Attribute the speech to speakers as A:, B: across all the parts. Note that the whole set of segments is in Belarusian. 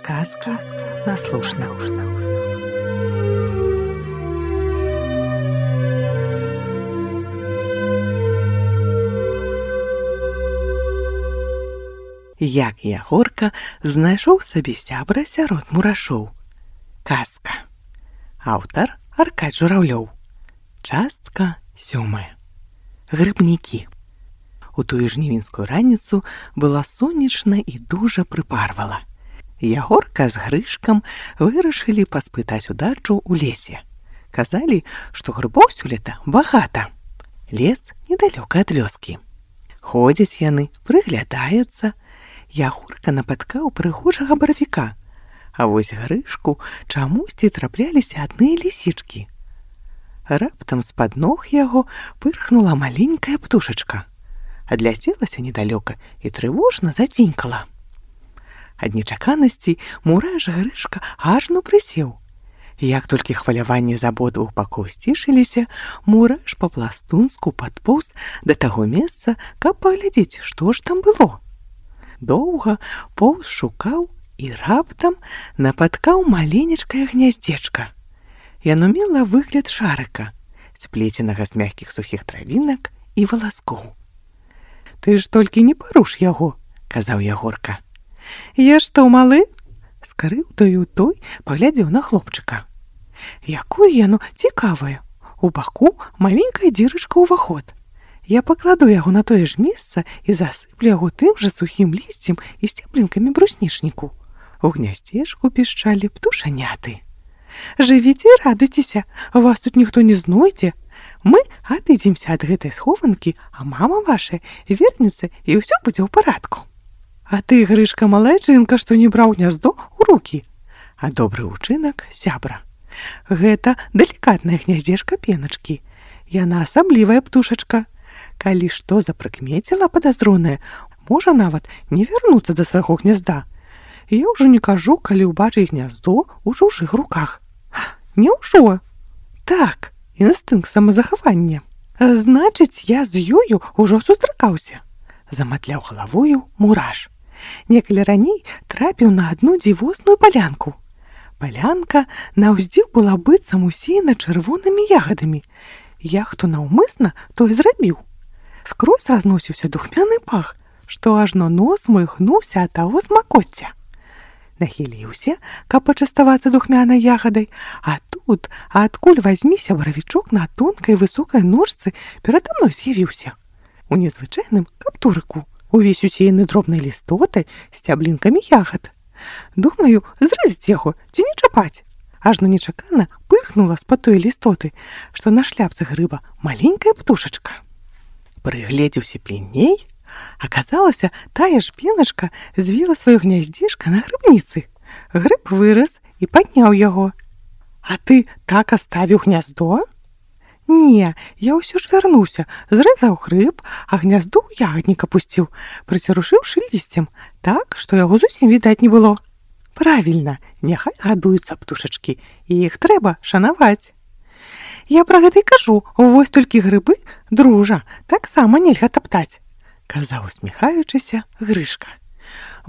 A: Казки на слушна. Як Ягорка знайшоў сабе сябра сярод мурашоў. Казка. Аўтар Аркадь Журавлёў. Частка 7. Грыбнікі. У тую жнівеньскую раніцу была сонечна і дужа прыпарвала. Ягорка з Грышкам вырашылі паспытаць удачу ў лесе. Казалі, што грыбоў сёлета багата. Лес недалёка ад вёскі. Ходзяць яны, прыглядаюцца. Ягорка напаткаў прыгожага баравіка, а вось Грышку чамусьці трапляліся адныя лісічкі. Раптам з-пад ног яго пырхнула маленькая птушачка. Адляцелася недалёка і трывожна зацінькала. Ад нечаканасці мураш Грышка ажно прысеў. Як толькі хваляванне з абодвух бакоў сцішыліся, мураш па-пластунску падпоўз да таго месца, каб паглядзець, што ж там было. Доўга поўз шукаў і раптам напаткаў маленечкае гняздзечка. Яно мела выгляд шарыка, сплеценага з мяккіх сухіх травінак і валаскоў. «Ты ж толькі не паруш яго», — казаў Ягорка. «Я што, малы?» — скрыўдаю той, паглядзеў на хлопчыка. «Якое яно цікавае! У баку маленькая дзірачка ўваход. Я пакладу яго на тое ж месца і засыплю яго тым жа сухім лісцем і сцеблінкамі бруснічніку». У гняздзечку пішчалі птушаняты. «Жывіце і радуйцеся, вас тут ніхто не знойдзе. Мы адыдземся ад гэтай схованкі, а мама ваша вернецца і ўсё будзе ў парадку. А ты, Грышка, малайчынка, што не браў гняздо ў рукі. А добры ўчынак сябра. Гэта далікатная гняздзечка пеначкі. Яна асаблівая птушачка. Калі што запрыкмеціла падазронае, можа нават не вярнуцца да свайго гнязда. Я ўжо не кажу, калі ўбачыць гняздо ў чужых руках. Няўжо? Так, інстынкт самазахавання. Значыць, я з ёю ўжо сустракаўся. Заматляў галавою мураш. Некалі раней трапіў на адну дзівосную палянку. Палянка наўздзіў была быццам усеяна чырвонымі ягадамі. Я хто наўмысна, то і зрабіў. Скрозь разносіўся духмяны пах, што ажно нос мой гнуўся ад таго смакоцця. Нахіліўся, каб пачаставацца духмянай ягадай, а тут, адкуль вазьміся баравічок на тонкай высокай ножцы перада мной з'явіўся. У незвычайным каптурыку, увесь усеяны дробнай лістотай, сцяблінкамі ягад. Думаю, зрэзаць яго ці не чапаць. Ажно нечакана пырхнула з-пад той лістоты, што на шляпцы грыба маленькая птушачка. Прыгледзеўся пільней, аказалася, тая ж пеначка звіла сваё гняздзішка на грыбніцы. Грыб вырас і падняў яго. «А ты так аставіў гняздо?» «Не, я ўсё ж вярнуўся, зрэзаў грыб, а гнязду ў ягаднік апусціў, прыцярушыўшы лісцем, так, што яго зусім відаць не было». «Правільна, няхай гадуюцца птушачкі, і іх трэба шанаваць». «Я пра гэта і кажу, вось толькі грыбы, дружа, таксама нельга таптаць», — казаў, усміхаючыся, Грышка.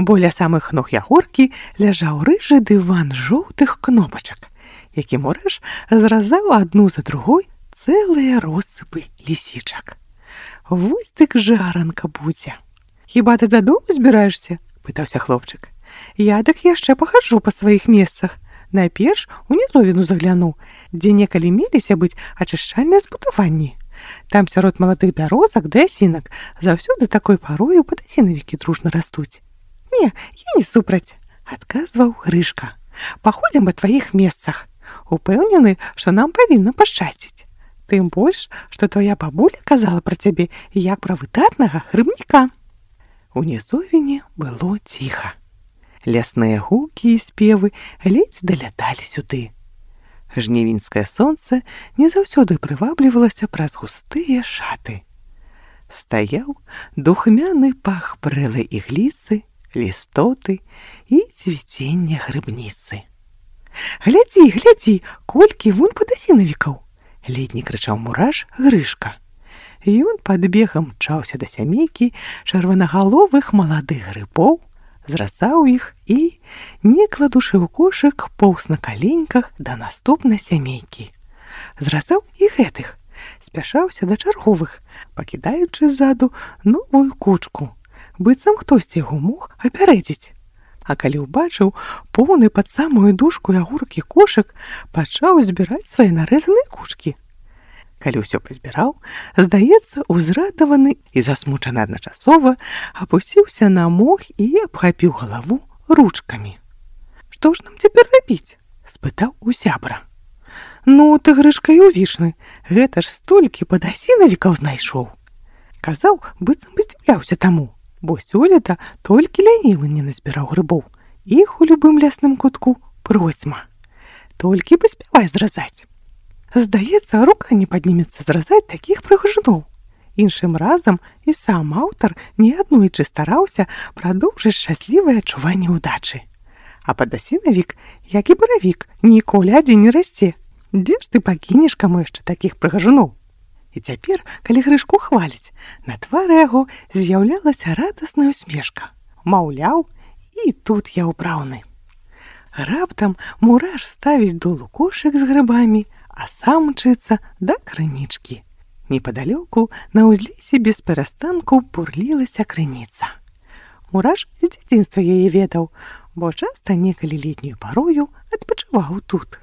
A: Бо ля самых ног Ягоркі ляжаў рыжы дыван жоўтых кнопачак, які мураш зразаў адну за другой цэлыя россыпы лісічак. «Вось дык жаранка будзе». «Хіба ты дадому збіраешся?» — пытаўся хлопчык. «Я дык яшчэ пахаджу па сваіх месцах. Найперш у нізовіну загляну, дзе некалі меліся быць ачышчальныя збудаванні. Там сярод маладых бярозак ды асінак заўсёды такой парою падасінавікі дружна растуць». «Не, я не супраць», — адказваў Грышка. «Паходзім па тваіх месцах. Упэўнены, што нам павінна пашчасціць. Тым больш, што твая бабуля казала пра цябе як пра выдатнага грыбніка». У нізовіне было ціха. Лясныя гукі і спевы ледзь даляталі сюды. Жнівеньскае сонца не заўсёды прываблівалася праз густыя шаты. Стаяў духмяны пах прэлай ігліцы, лістоты і цвіцення грыбніцы. «Глядзі, глядзі, колькі вунь падасінавікаў!» — ледні крычаў мураш Грышка. Ён падбегам мчаўся да сямейкі чырванагаловых маладых грыбоў, зразаў іх і, не кладучы ў кошык, поўз на каленьках да наступнай сямейкі. Зразаў і гэтых, спяшаўся да чарговых, пакідаючы ззаду новую кучку, быццам хтосьці яго мог апярэдзіць. А калі ўбачыў поўны пад самую дужку ягуркі кошык, пачаў збіраць свае нарэзаныя кучкі. Калі ўсё пазбіраў, здаецца, узрадаваны і засмучаны адначасова, апусціўся на мох і абхапіў галаву ручкамі. «Што ж нам цяпер рабіць?» – спытаў у сябра. «Ну, ты, Грышка, і увішны, гэта ж столькі падасінавікаў знайшоў!» Казаў, быццам бы здзіўляўся таму, бо сёлета толькі лянівы не назбіраў грыбоў. Іх у любым лясным кутку процьма. Толькі паспявай зразаць. Здаецца, рука не паднімецца зразаць такіх прыгажуноў. Іншым разам і сам аўтар неаднойчы стараўся прадоўжыць шчаслівае адчуванне ўдачы. А падасінавік, як і баравік, ніколі адзін не расце. Дзе ж ты пакінеш каму яшчэ такіх прыгажуноў? І цяпер, калі Грышку хваляць, на твары яго з'яўлялася радасная усмешка. Маўляў, і тут я ўпраўны. Раптам мураш ставіць долу кошык з грыбамі, а сам мчыцца да крынічкі. Непадалёку на ўзлесе без перастанку бурлілася крыніца. Мураш з дзяцінства яе ведаў, бо часта некалі летнюю парою адпачываў тут.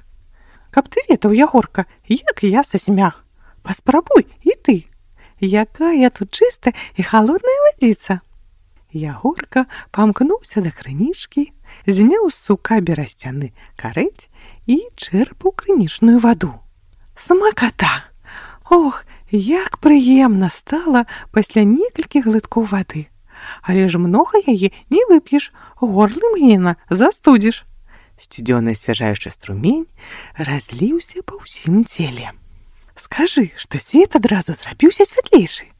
A: Каб ты ведаў, Ягорка, як я сасмях. Паспрабуй і ты. Якая тут чыстая і халодная вадзіца. Ягорка памкнуўся да крынічкі, зняў з сука берасцяны карэць і чэрпаў крынічную ваду. Смаката! Ох, як прыемна стала пасля некалькіх глыткоў вады. Але ж многа яе не вып'еш, горлы мгненна застудзіш. Сцюдзёны асвяжаючы струмень разліўся па ўсім целе. Скажы, што свет адразу зрабіўся святлейшы.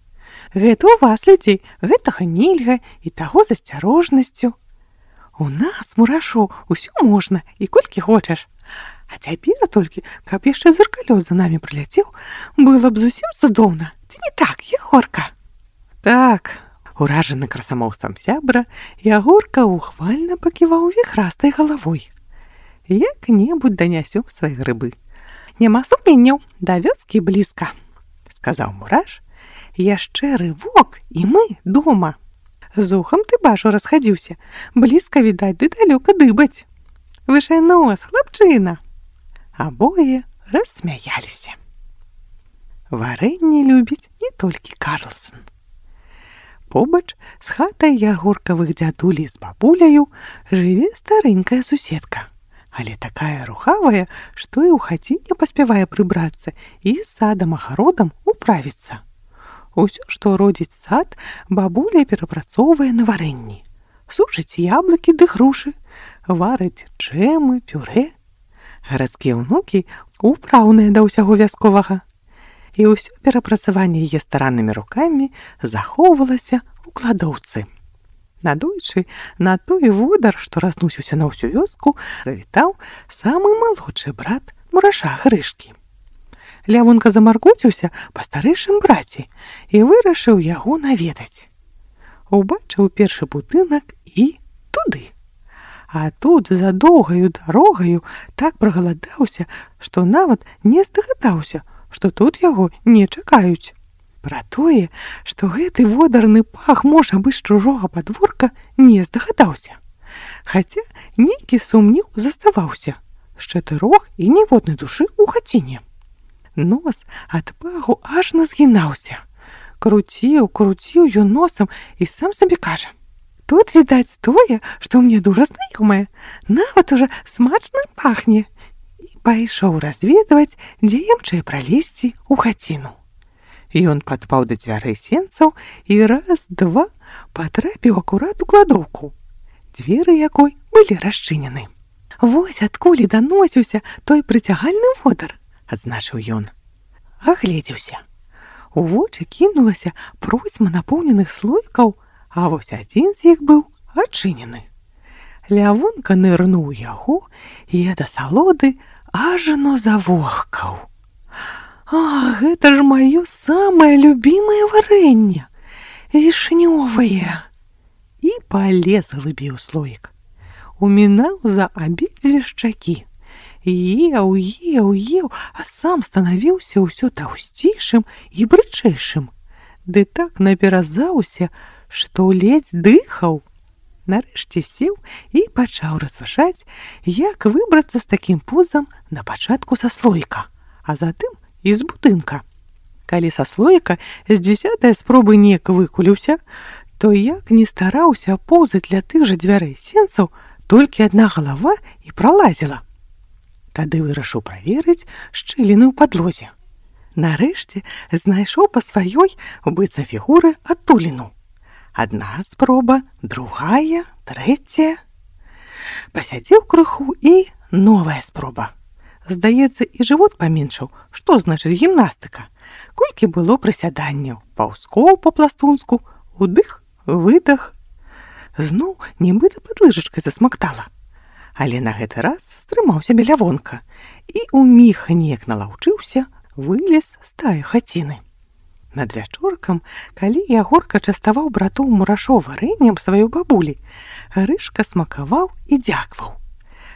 A: Гэта ў вас, людзей, гэтага нельга і таго з асцярожнасцю. У нас, мурашоў, усё можна і колькі хочаш. А цяпер толькі, каб яшчэ зыркалёт за намі прыляцеў, было б зусім цудоўна. Ці не так, Ягорка? Так, уражаны красамоўствам сябра, Ягорка ухвальна паківаў віхрастай галавой. Як-небудзь данясём свае грыбы. Няма сумненняў, да вёскі блізка, сказаў мураш. Яшчэ рывок, і мы дома. З ухам ты бачу расхадзіўся, блізка відаць ды далёка дыбаць. Вышэй нос, хлапчына. Абое рассмяяліся. Варэнне любіць не толькі Карлсон. Побач з хатай ягоркавых дзядулі з бабуляю жыве старэнькая суседка. Але такая рухавая, што і ў хаціне паспявае прыбрацца і з садам-агародам управіцца. Усё, што родзіць сад, бабуля перапрацоўвае на варэнні. Сушыць яблыкі ды грушы, варыць джэмы, пюрэ. Гарадскія ўнукі ўпраўныя да ўсяго вясковага. І ўсё перапрацаванне яе стараннымі рукамі захоўвалася ў кладоўцы. Надойчы на той водар, што разносіўся на ўсю вёску, завітаў самы малодшы брат мураша Грышкі. Лявонка замаркоціўся па старэйшым браце і вырашыў яго наведаць. Убачыў першы будынак і туды. А тут за доўгаю дарогаю так прагаладаўся, што нават не здагадаўся, што тут яго не чакаюць. Пра тое, што гэты водарны пах можа быць з чужога падворка, не здагадаўся. Хаця нейкі сумнеў заставаўся. З 4 і ніводнай душы ў хаціне. Нос ад паху аж назгінаўся. Круціў ён носам і сам сабе кажа: «Тут відаць тое, што мне дужа знаёмае, нават уже смачна пахне». І пайшоў разведваць, дзе ямчэй пралезці ў хаціну. Ён падпаў да дзвярэй сенцаў і раз-два патрапіў акурат у кладоўку, дзверы якой былі расчынены. «Вось адкуль даносіўся той прыцягальны водар», — адзначыў ён. Агледзеўся. У вочы кінулася процьма напоўненых слоікаў, а вось адзін з іх быў адчынены. Лявонка нырнуў яго і ад асалоды ажно завохкаў. «А, гэта ж маё самае любімае варэнне, вішнёвае!» і палез глыбей у слоік. Умінаў за абедзве шчакі. Еў, а сам станавіўся ўсё таўсцейшым і брычэйшым. Ды так наперазаўся, што ледзь дыхаў. Нарэшце сеў і пачаў разважаць, як выбрацца з такім пузам на пачатку са слоіка, а затым і з будынка. Калі са слоіка з 10-й спробы неяк выкуліўся, то як не стараўся поўзаць ля тых жа дзвярэй сенцаў, толькі адна галава і пралазіла. Тады вырашыў праверыць шчыліны ў падлозе. Нарэшце знайшоў па сваёй быццам фігуры адтуліну. Адна спроба, другая, трэцяя. Пасядзеў крыху і новая спроба. Здаецца, і жывот паменшаў. Што значыць гімнастыка? Колькі было прысяданняў, паўзкоў па-пластунску, удых, выдах. Зноў нібыта пад лыжачкай засмактала. Але на гэты раз стрымаў сябе Лявонка і ўміг неяк налаўчыўся, вылез з тае хаціны. Над вячоркам, калі Ягорка частаваў братоў Мурашоў варэннем сваёй бабулі, Грышка смакаваў і дзякваў.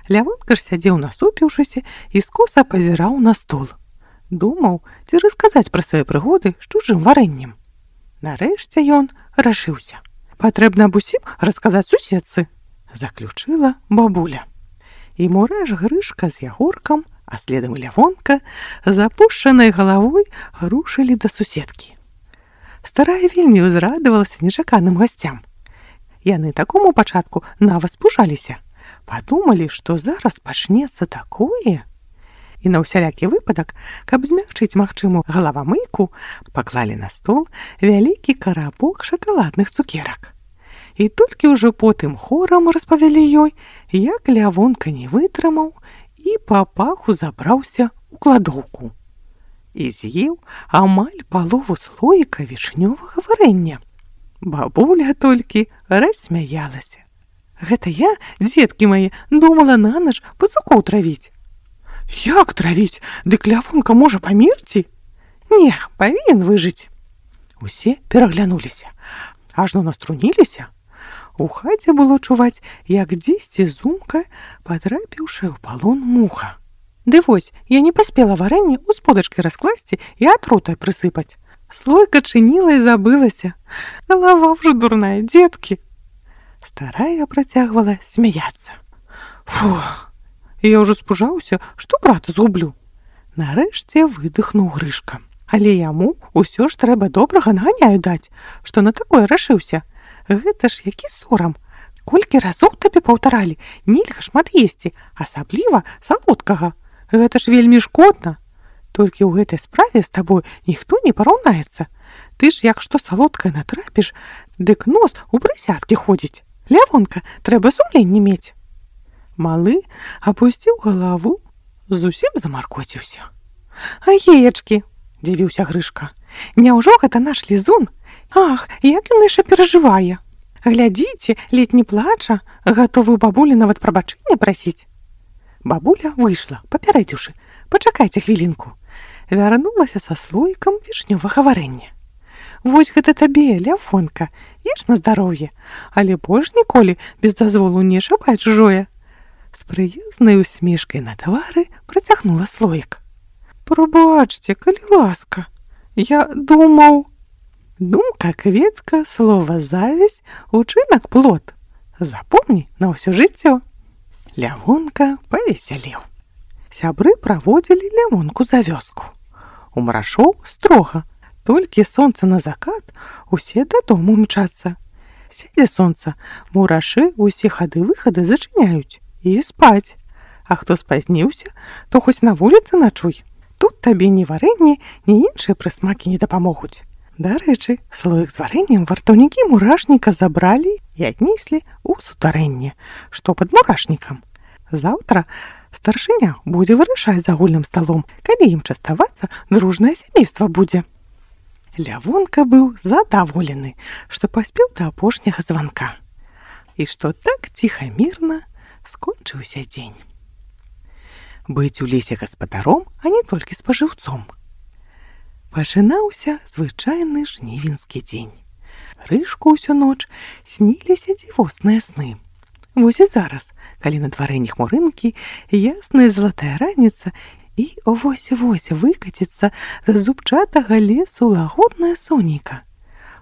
A: Лявонка ж сядзеў насупіўшыся і скоса пазіраў на стол. Думаў, ці расказаць пра свае прыгоды з чужым варэннем. Нарэшце ён рашыўся. Патрэбна аб усім расказаць суседцы, заключыла бабуля. І Мураш, Грышка з Ягоркам, а следам і Лявонка, з апушчанай галавой рушылі да суседкі. Старая вельмі ўзрадавалася нечаканым гасцям. Яны такому пачатку нават спужаліся. Падумалі, што зараз пачнецца такое. І на ўсялякі выпадак, каб змякчыць магчымую галавамыйку, паклалі на стол вялікі карабок шакаладных цукерак. І толькі ўжо потым хорам распавялі ёй, як Лявонка не вытрымаў і па паху забраўся ў кладоўку. І з'еў амаль палову слоіка вішнёвага варэння. Бабуля толькі рассмяялася. Гэта я, дзеткі мае, думала на ноч пацукоў травіць. Як травіць? Дык Лявонка можа памерці? Не, павінен выжыць. Усе пераглянуліся, ажно наструніліся. У хаце было чуваць, як дзесьці зумка, патрапіўшы ў палон муха. Ды вось, я не паспела варэнне ў сподачкі раскласці і атрутай прысыпаць. Слойка чыніла і забылася. Галава ўжо дурная, дзеткі. Старая працягвала смяяцца. Фу, я ўжо спужаўся, што брата згублю. Нарэшце выдыхнуў Грышка. Але яму ўсё ж трэба добрага наганяю даць, што на такое рашыўся. Гэта ж які сорам. Колькі разоў табе паўтаралі, нельга шмат есці, асабліва салодкага. Гэта ж вельмі шкодна. Толькі ў гэтай справе з табой ніхто не параўнаецца. Ты ж як што салодкае натрапіш, дык нос у прысядкі ходзіць. Лявонка, трэба сумленне мець. Малы апусціў галаву, зусім замаркоціўся. А еечкі, дзівіўся Грышка, няўжо гэта наш лізун? Ах, як ён яшчэ перажывае. Глядзіце, ледзь не плача, гатовы ў бабулі нават прабачэння прасіць. Бабуля выйшла, папярэдзіўшы: пачакайце хвілінку. Вярнулася са слоікам вішнёвага варэння. Вось гэта табе, Лявонка, еш на здароўе, але больш ніколі без дазволу не шапай чужое. З прыязнай усмешкай на твары працягнула слоік. Прабачце, калі ласка, я думаў... Думка кветка, слова зависть, учынак плод. Запомні на ўсё жыццё. Лявонка павесялеў. Сябры праводзілі Лявонку за вёску. У Мурашоў строга. Толькі сонца на закат, усе дадому мчацца. Сядзе сонца, мурашы усе хады-выхады зачыняюць і спаць. А хто спазніўся, то хоць на вуліцы начуй. Тут табе ні варэнне, ні іншыя прысмакі не дапамогуць. Дарэчы, слоік з варэннем вартаўнікі мурашніка забралі і аднеслі ў сутарэнне, што пад мурашнікам. Заўтра старшыня будзе вырашаць за агульным сталом, калі ім частавацца дружнае сямейства будзе. Лявонка быў задаволены, што паспеў да апошняга званка. І што так ціха-мірна скончыўся дзень. Быць у лесе гаспадаром, а не толькі спажыўцом. Пачынаўся звычайны жнівеньскі дзень. Грышку ўсю ноч сніліся дзівосныя сны. Вось і зараз, калі на дварэ не хмурынкі, ясная залатая раніца, і вось-вось выкаціцца з зубчатага лесу лагоднае сонейка.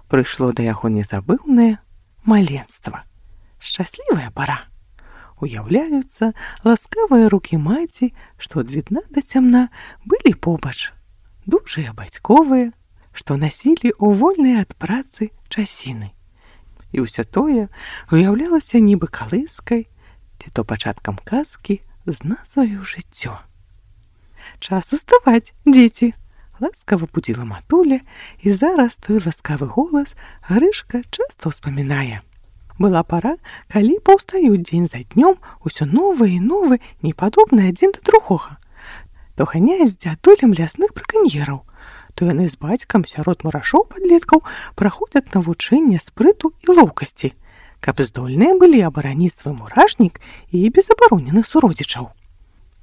A: Прыйшло да яго незабыўнае маленства. Шчаслівая пара. Уяўляюцца ласкавыя рукі маці, што ад відна да цямна былі побач. Дужыя бацьковыя, што насілі ў вольныя ад працы часіны. І ўсё тое уяўлялася нібы калыскай, ці то пачаткам казкі з назваю «Жыццё». «Час уставаць, дзеці!» — ласкава будзіла матуля, і зараз той ласкавы голас Грышка часта ўспамінае. Была пара, калі паўстаюць дзень за днём усё новыя і новыя, непадобныя адзін да другога. То ганяюць з дзядулем лясных браканьераў, то яны з бацькам сярод мурашоў-падлеткаў праходзяць навучэнне спрыту і лоўкасці, каб здольныя былі абараніць свой мурашнік і безабароненых суродзічаў.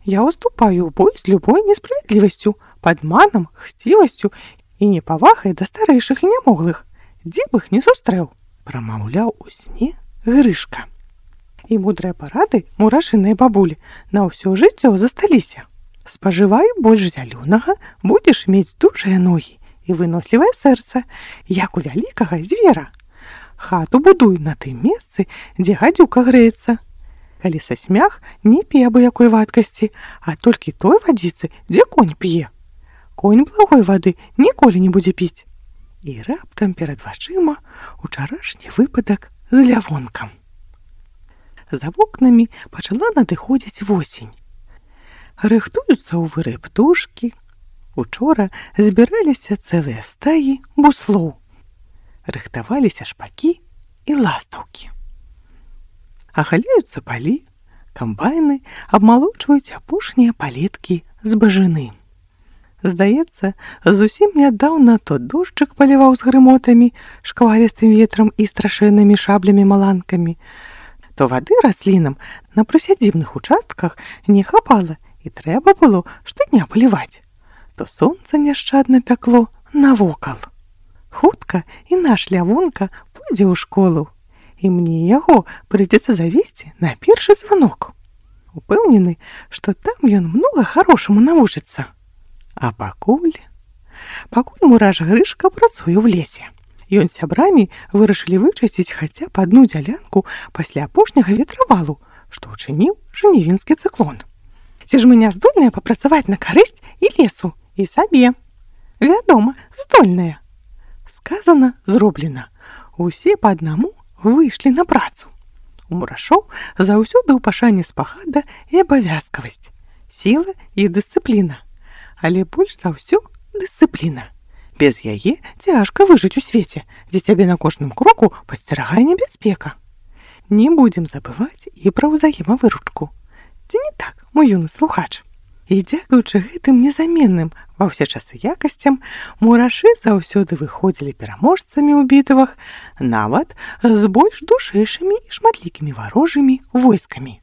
A: Я уступаю ў бой з любой несправядлівасцю, падманам, хцівасцю і непавагай да старэйшых і нямоглых, дзе б іх не сустрэў, прамаўляў у сне Грышка. І мудрыя парады мурашынай бабулі на ўсё жыццё засталіся. Спажывай больш зялёнага, будзеш мець дужыя ногі і вынослівае сэрца, як у вялікага звера. Хату будуй на тым месцы, дзе гадзюка грэецца. Калі са смях, не пі абы-якой вадкасці, а толькі той вадзіцы, дзе конь п'е. Конь благой вады ніколі не будзе піць. І раптам перад вачыма учарашні выпадак з лявонкам. За вокнамі пачала надыходзіць восень. Рыхтуюцца ў выры птушкі. Учора збіраліся цэлыя стаі буслоў. Рыхтаваліся шпакі і ластаўкі. Агаляюцца палі, камбайны абмалочваюць апошнія палеткі збажыны. Здаецца, зусім нядаўна то дожджык паліваў з грымотамі, шквалістым ветрам і страшэннымі шаблямі-маланкамі, то вады раслінам на прысядзібных участках не хапала, і трэба было штодня паліваць, то сонца няшчадна пякло навокал. Хутка і наш лявонка пойдзе ў школу, і мне яго прыйдзецца завесці на першы званок. Упэўнены, што там ён многа харошаму навучыцца. А пакуль мураш Грышка працуе ў лесе. Ён з сябрамі вырашылі вычысціць хаця б адну дзялянку пасля апошняга ветравалу, што ўчыніў жнівеньскі цыклон. Ці ж мы не здольныя папрацаваць на карысць і лесу, і сабе? Вядома, здольныя. Сказана, зроблена. Усе па аднаму выйшлі на працу. У мурашоў заўсёды ў пашане спагада і абавязкавасць, сіла і дысцыпліна. Але больш за ўсё дысцыпліна. Без яе цяжка выжыць у свеце, дзе цябе на кожным кроку пасцерагае небяспека. Не будзем забываць і пра ўзаемавыручку. Ці не так, мой юны слухач? І дзякуючы гэтым незаменным ва ўсе часы якасцям, мурашы заўсёды выходзілі пераможцамі ў бітвах, нават з больш душэйшымі і шматлікімі варожымі войскамі.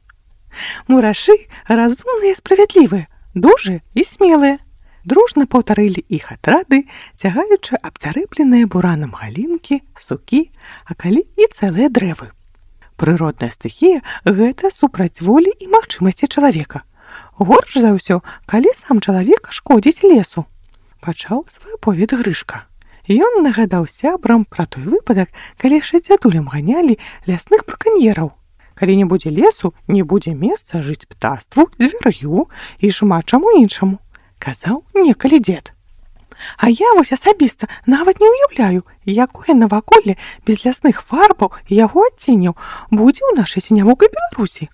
A: Мурашы разумныя і справядлівыя, дужыя і смелыя. Дружна паўтарылі іх атрады, цягаючы абцярэпленыя буранам галінкі, сукі, а калі і цэлыя дрэвы. Прыродная стыхія – гэта супраць волі і магчымасці чалавека. Горш за ўсё, калі сам чалавек шкодзіць лесу. Пачаў свой аповед Грышка. Ён нагадаў сябрам пра той выпадак, калі яшчэ дзядулям ганялі лясных браканьераў. Калі не будзе лесу, не будзе месца жыць птаству, звяр'ю і шмат чаму іншаму, казаў некалі дзед. А я вось асабіста нават не ўяўляю, якое наваколле без лясных фарбаў і яго адценняў будзе ў нашай сінявокай Беларусі.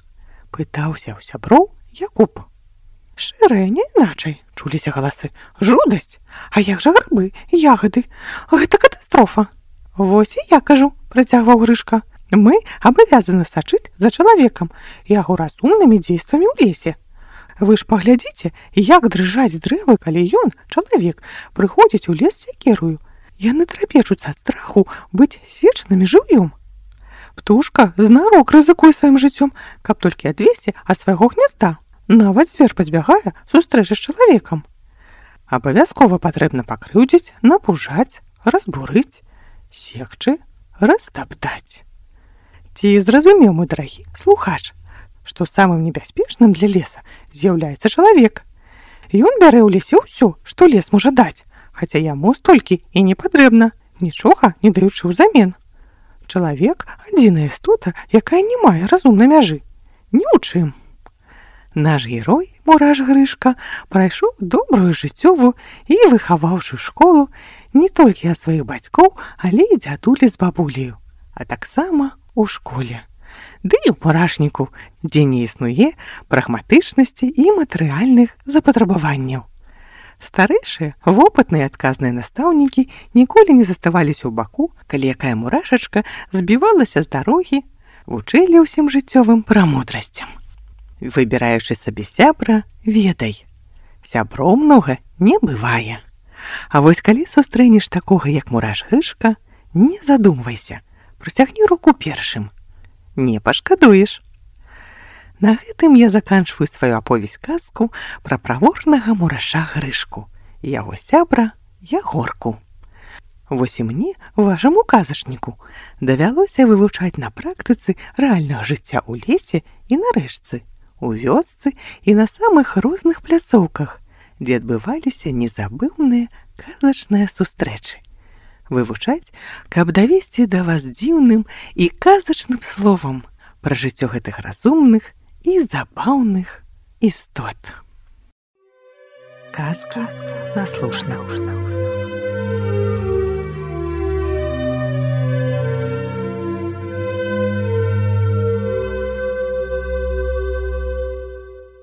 A: Пытаўся ў сяброў Якуб. Шэрая, не іначай, чуліся галасы. Жудасць? А як жа грыбы, ягады? Гэта катастрофа. Вось і я кажу, працягваў Грышка. Мы абавязаны сачыць за чалавекам і яго разумнымі дзействамі ў лесе. Вы ж паглядзіце, як дрыжаць дрэвы, калі ён, чалавек, прыходзіць у лес сякерую. Яны трапечуцца ад страху быць сечанымі жыўём. Птушка знарок рызыкуе сваім жыццём, каб толькі адвесці ад свайго гнязда. Нават звер пазбягае сустрэчы з чалавекам. Абавязкова патрэбна пакрыўдзіць, напужаць, разбурыць, секчы, растаптаць. Ці зразумеў, мой дарагі слухач, што самым небяспечным для леса з'яўляецца чалавек. Ён бярэ ў лесе ўсё, што лес можа даць, хаця яму столькі і не патрэбна, нічога не даючы ўзамен. Чалавек – адзіная істота, якая не мае разумнай мяжы. Ні ў чым. Наш герой, мураш Грышка, прайшоў добрую жыццёвую і выхаваўшы школу не толькі ад сваіх бацькоў, але і дзядулі з бабуляю, а таксама у школе. Ды і ў мурашніку, дзе не існуе прагматычнасці і матэрыяльных запатрабаванняў. Старэйшыя, вопытныя адказныя настаўнікі ніколі не заставаліся ў баку, калі якая мурашачка збівалася з дарогі, вучылі ўсім жыццёвым прамудрасцям. Выбіраючы сабе сябра, ведай, сяброў многа не бывае. А вось калі сустрэнеш такога, як мураш Грышка, не задумвайся, працягні руку першым. Не пашкадуеш. На гэтым я заканчваю сваю аповесць-казку пра праворнага мураша Грышку і яго сябра Ягорку. Вось і мне, вашаму казачніку, давялося вывучаць на практыцы рэальнага жыцця ў лесе і на рэчцы, у вёсцы і на самых розных пляцоўках, дзе адбываліся незабыўныя казачныя сустрэчы. Вывучаць, каб давесці да вас дзіўным і казачным словам пра жыццё гэтых разумных і забаўных істот. Казкі на слушна.